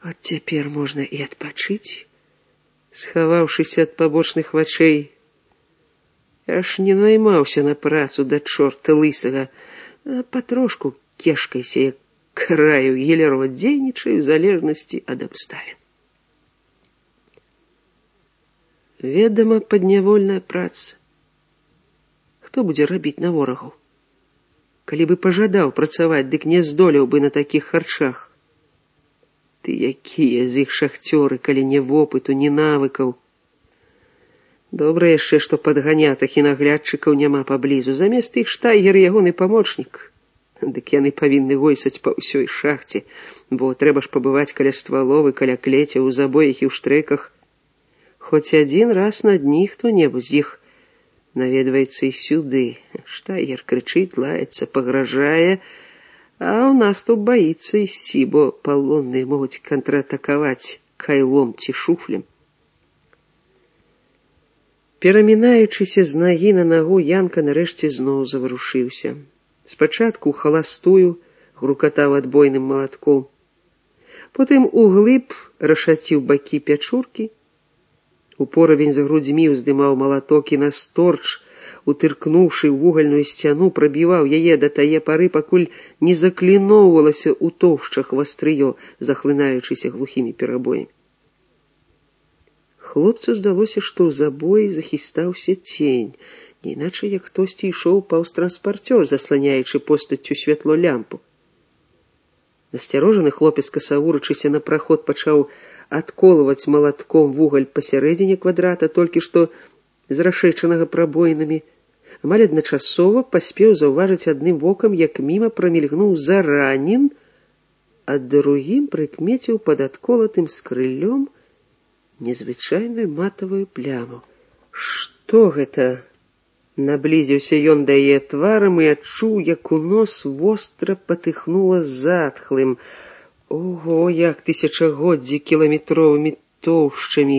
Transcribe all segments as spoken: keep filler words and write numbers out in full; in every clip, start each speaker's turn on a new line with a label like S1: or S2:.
S1: От цяпер можна і адпачыць, схаваўшыся ад пабочных вачэй. Я ж не наймаўся на працу да чорта лысага, а патрошку кешкайся, як краю гілярова, дзейнічаю ў залежнасці ад абставін. Ведама, паднявольная праца. Хто будзе рабіць на ворагаў? Калі бы пажадаў працаваць, дык не здолеў бы на такіх харчах. Ты якія з іх шахцёры, калі не вопыту, ні навыкаў. Добра яшчэ, што падганятых і наглядчыкаў няма паблізу. Замест іх штайгер ягоны памочнік. Дык яны павінны гойсаць па ўсёй шахце, бо трэба ж пабываць каля стваловы, каля клецяў, у забоях і ў штрэках. Хоць адзін раз на дні хто-небудзь з іх наведваецца і сюды. Штайгер крычыць, лаецца, пагражае, а ў наступ баіцца ісці, бо палонныя могуць контратакаваць кайлом ці шуфлем. Перамінаючыся з нагі на нагу, Янка нарэшце зноў заварушыўся. Спачатку халастую грукатаў адбойным малатком, потым углыб рашаціў бакі пячуркі, у поравень за грудзьмі ўздымаў малаток і насторч, утыркнуўшы ў вугальную сцяну, прабіваў яе да тае пары, пакуль не закліноўвалася ў тоўшчах вастрыё, захлынаючыся глухімі перабоямі. Хлопцу здалося, што ў забоі захістаўся цень, не іначай як хтосьці ішоў паўз транспарцёр, засланяючы постаццю святло лямпу. Насцярожаны хлопец, касавурачыся на праход, пачаў адколваць малатком вугаль пасярэдзіне квадрата, толькі што з рашэчанага прабоінамі. Амаль адначасова паспеў заўважыць адным вокам, як міма прамільгнуў Заранін, а другім прыкмеціў пад адколатым скрыллём незвычайную матавую пляму. Што гэта? Наблізіўся ён да яе тварам і адчуў, як у нос востра патыхнула затхлым. Ого, як тысячагоддзі кіламетровымі тоўшчамі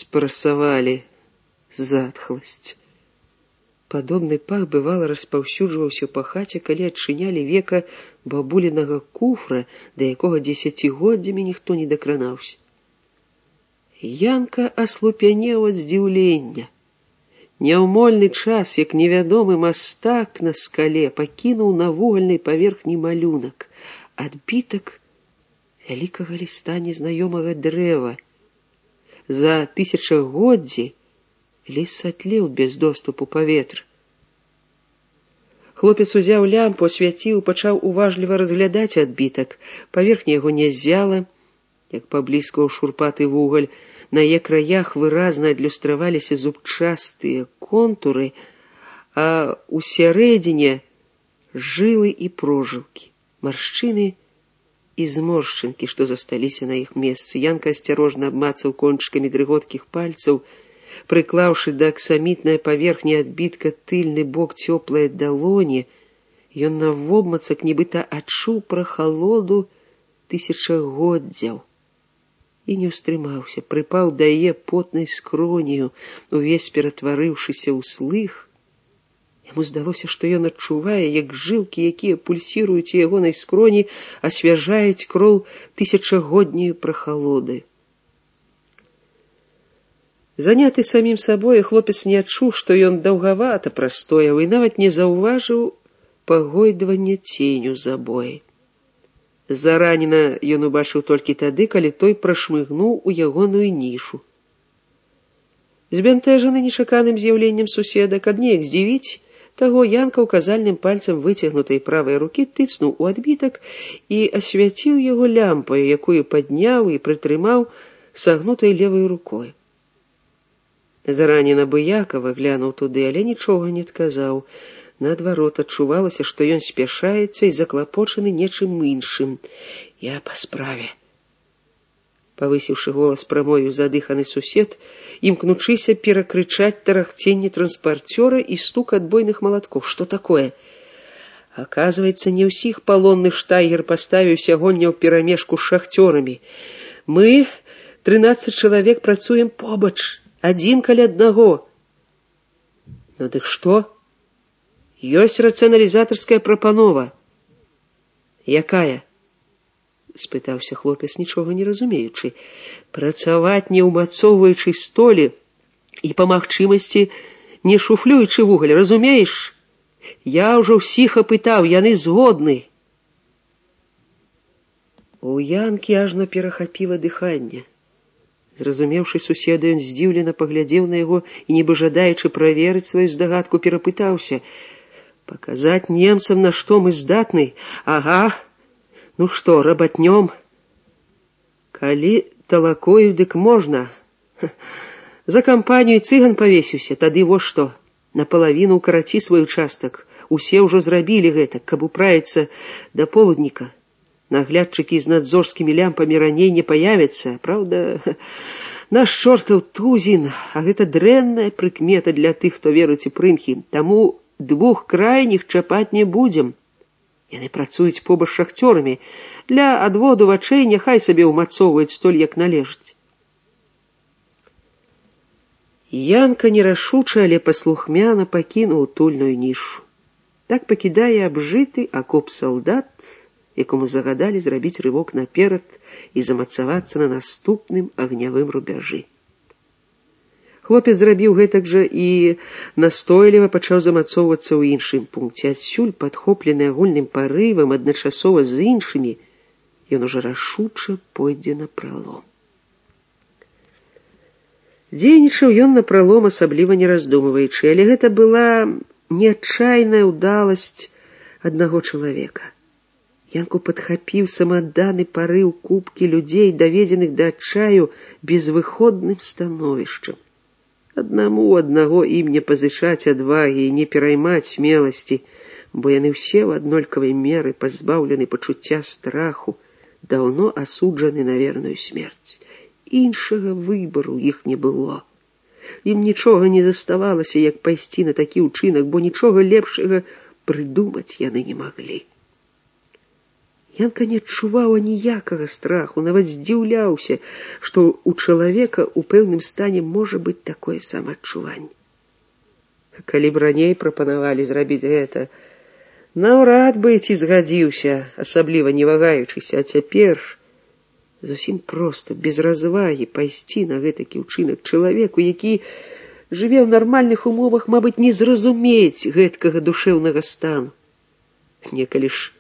S1: спрасавалі затхласць. Падобны пах бывала распаўсюджваўся па хаце, калі адчынялі века бабулінага куфра, да якога дзесяцігоддзямі ніхто не дакранаўся. Янка аслупянеў ад здзіўлення. Няўмольны час, як невядомы мастак на скале, пакінуў на вугальнай паверхні малюнак, адбітак вялікага ліста незнаёмага дрэва. За тысячагоддзі ліс сатлеў без доступу паветра. Хлопец узяў лямпу, асвяціў, пачаў уважліва разглядаць адбітак. Паверхня яго не ззяла, як пабліскаў шурпаты вугаль. На яе краях выразна адлюстраваліся зубчастыя контуры, а ў сярэдзіне жылы і прожылкі, маршчыны і зморшчынкі, што засталіся на іх месцы. Янка асцярожна абмацаў кончыкамі дрыготкіх пальцаў, прыклаўшы да аксамітнай паверхні адбітка тыльны бок цёплай далоні, ён навобмацак нібыта адчуў прахалоду тысячагоддзяў і не ўстрымаўся, прыпаў да яе потнай скронію, увесь ператварыўшыся ў слых. Яму здалося, што ён адчувае, як жылкі, якія пульсіруюць у ягонай скроні, асвяжаюць кроў тысячагодняй прахалоды. Заняты самім сабой, хлопец не адчуў, што ён даўгавата прастояў і нават не заўважыў пагойдвання ценю забоі. Зараніна ён убачыў толькі тады, калі той прашмыгнуў у ягоную нішу. Збянтэжаны нечаканым з'яўленнем суседа, каб неяк здзівіць таго, Янка указальным пальцам выцягнутай правай рукі тыцнуў у адбітак і асвяціў яго лямпаю, якую падняў і прытрымаў сагнутай левай рукой. Зараніна абыякава глянуў туды, але нічога не адказаў. Наадварот, адчувалася, што ён спяшаецца і заклапочаны нечым іншым. «Я па справе», павысіўшы голас, прамовіў задыханы сусед, імкнучыся перакрычаць тарахценне транспарцёра і стук адбойных малаткоў. «Што такое?» Аказваецца, не ўсіх палонных штайгер паставіў сягоння ў перамешку з шахцёрамі. Мы, трынаццаць чалавек, працуем побач, адзін каля аднаго. Ну дык што? Ёсць рацыяналізатарская прапанова. Якая? спытаўся хлопец, нічога не разумеючы. Працаваць не ўмацоўваючы столі і па магчымасці не шуфлюючы вугаль, разумееш? Я ўжо ўсіх апытаў, яны згодны. У Янкі ажно перахапіла дыханне. Зразумеўшы суседа, ён здзіўлена паглядзеў на яго і, нібы жадаючы праверыць сваю здагадку, перапытаўся: «Паказаць немцам, на што мы здатны? Ага. Ну што, рабатнём? Калі талакою, дык можна. За кампанію цыган павесіўся, тады во што. Напалавіну ўкараці свой участак. Усе ўжо зрабілі гэта, каб управіцца да полудніка. Наглядчыкі з надзорскімі лямпамі раней не паявяцца. Праўда, наш чортаў тузін, а гэта дрэнная прыкмета для тых, хто верыць у прымхі. Таму двух крайніх чапаць не будзем. Яны працуюць побач з шахцёрамі. Для адводу вачэй няхай сабе ўмацоўваюць столь, як належыць». Янка нерашуча, але паслухмяна пакінуў утульную нішу. Так пакідае абжыты акоп салдат, якому загадалі зрабіць рывок наперад і замацавацца на наступным агнявым рубяжы. Хлопец зрабіў гэтак жа і настойліва пачаў замацоўвацца ў іншым пункце. Адсюль, падхоплены агульным парывам, адначасова з іншымі, ён ужо рашуча пойдзе на пралом. Дзейнічаў ён на пралом, асабліва не раздумваючы, але гэта была не адчайная ўдаласць аднаго чалавека. Янку падхапіў самаданы парыў купкі людзей, даведзеных да адчаю безвыходным становішчам. Аднаму аднаго ім не пазычаць адвагі і не пераймаць смеласці, бо яны ўсе ў аднолькавай меры пазбаўлены пачуцця страху, даўно асуджаны на верную смерць. Іншага выбару іх не было. Ім нічога не заставалася, як пайсці на такі ўчынак, бо нічога лепшага прыдумаць яны не маглі. Янка не адчуваў аніякага страху, нават здзіўляўся, што ў чалавека ў пэўным стане можа быць такое самаадчуванне. Калі б раней прапанавалі зрабіць гэта, наўрад бы ці згадзіўся, асабліва не вагаючыся, а цяпер зусім проста, без развагі, пайсці на гэтакі ўчынак чалавеку, які жыве ў нармальных умовах, мабыць, не зразумець гэткага душэўнага стану. Некалі ж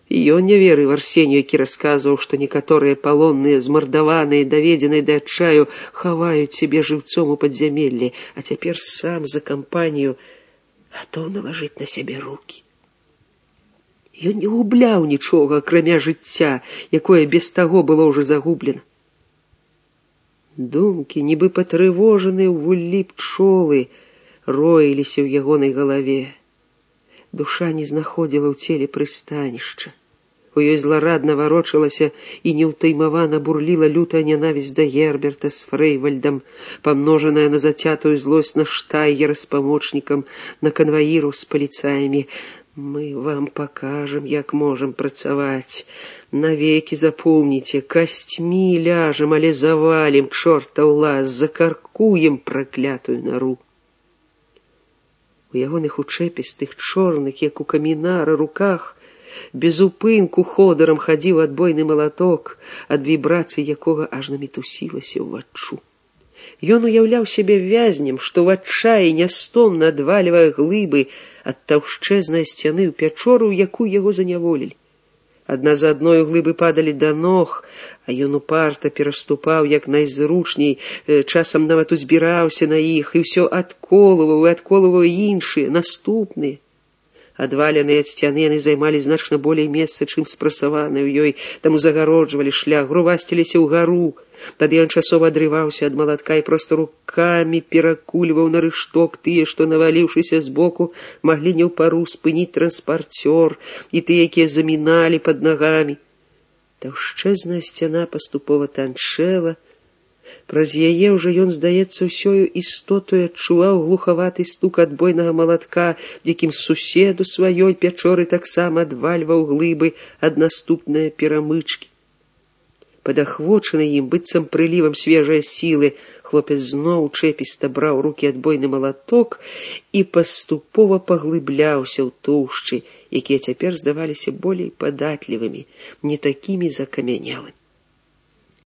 S1: і ён не верыў Арсенію, які расказваў, што некаторыя палонныя, змардаваныя, даведзеныя да адчаю, хаваюць сябе жыўцом у падзямеллі, а цяпер сам за кампанію гатоў налажыць на сябе рукі. Ён не губляў нічога, акрамя жыцця, якое без таго было ўжо загублена. Думкі, нібы патрывожаныя ў вуллі пчолы, роіліся ў ягонай галаве. Душа не знаходзіла ў целе прыстанішча. У ёй зларадна варочалася і неўтаймавана бурліла лютая нянавісць да Герберта з Фрэйвальдам, памножаная на зацятую злосць на Штайгера з памочнікам, на канваіраў з паліцаямі. Мы вам пакажам, як можам працаваць. Навекі запомніце, касцьмі ляжам, але завалім, чортаў лаз, закаркуем праклятую нару. У ягоных учэпістых, чорных, як у камінара, руках без упынку ходырам хадзіў адбойны малаток, ад вібрацый якога ажно мітусілася ўваччу. Ён уяўляў сябе вязнем, што ў адчаі нястомна адвальвае глыбы ад таўшчэзнай сцяны ў пячору, у якую яго заняволілі. Адна за адною глыбы падалі да ног, а ён упарта пераступаў як найзручней, часам нават узбіраўся на іх, і ўсё адколываў і адколываў іншыя, наступныя. Адваленыя ад сцяны яны займалі значна болей месца, чым спрасаваныя ў ёй, таму загароджвалі шлях, грувасціліся ўгару. Тады ён часова адрываўся ад малатка і проста рукамі перакульваў на рышток тыя, што, наваліўшыся збоку, маглі не ў пару спыніць транспарцёр, і тыя, якія заміналі пад нагамі. Таўшчэзная сцяна паступова танчэла. Праз яе ўжо ён, здаецца, ўсёю істотою адчуваў глухаваты стук адбойнага малатка, якім суседу сваёй пячоры таксама адвальваў глыбы ад наступнае перамычкі. Падахвочаны ім, быццам прылівам свежай сілы, хлопец зноў чэпіста браў рукі адбойны малаток і паступова паглыбляўся ў тоўшчы, якія цяпер здаваліся болей падатлівымі, не такімі закамянелымі.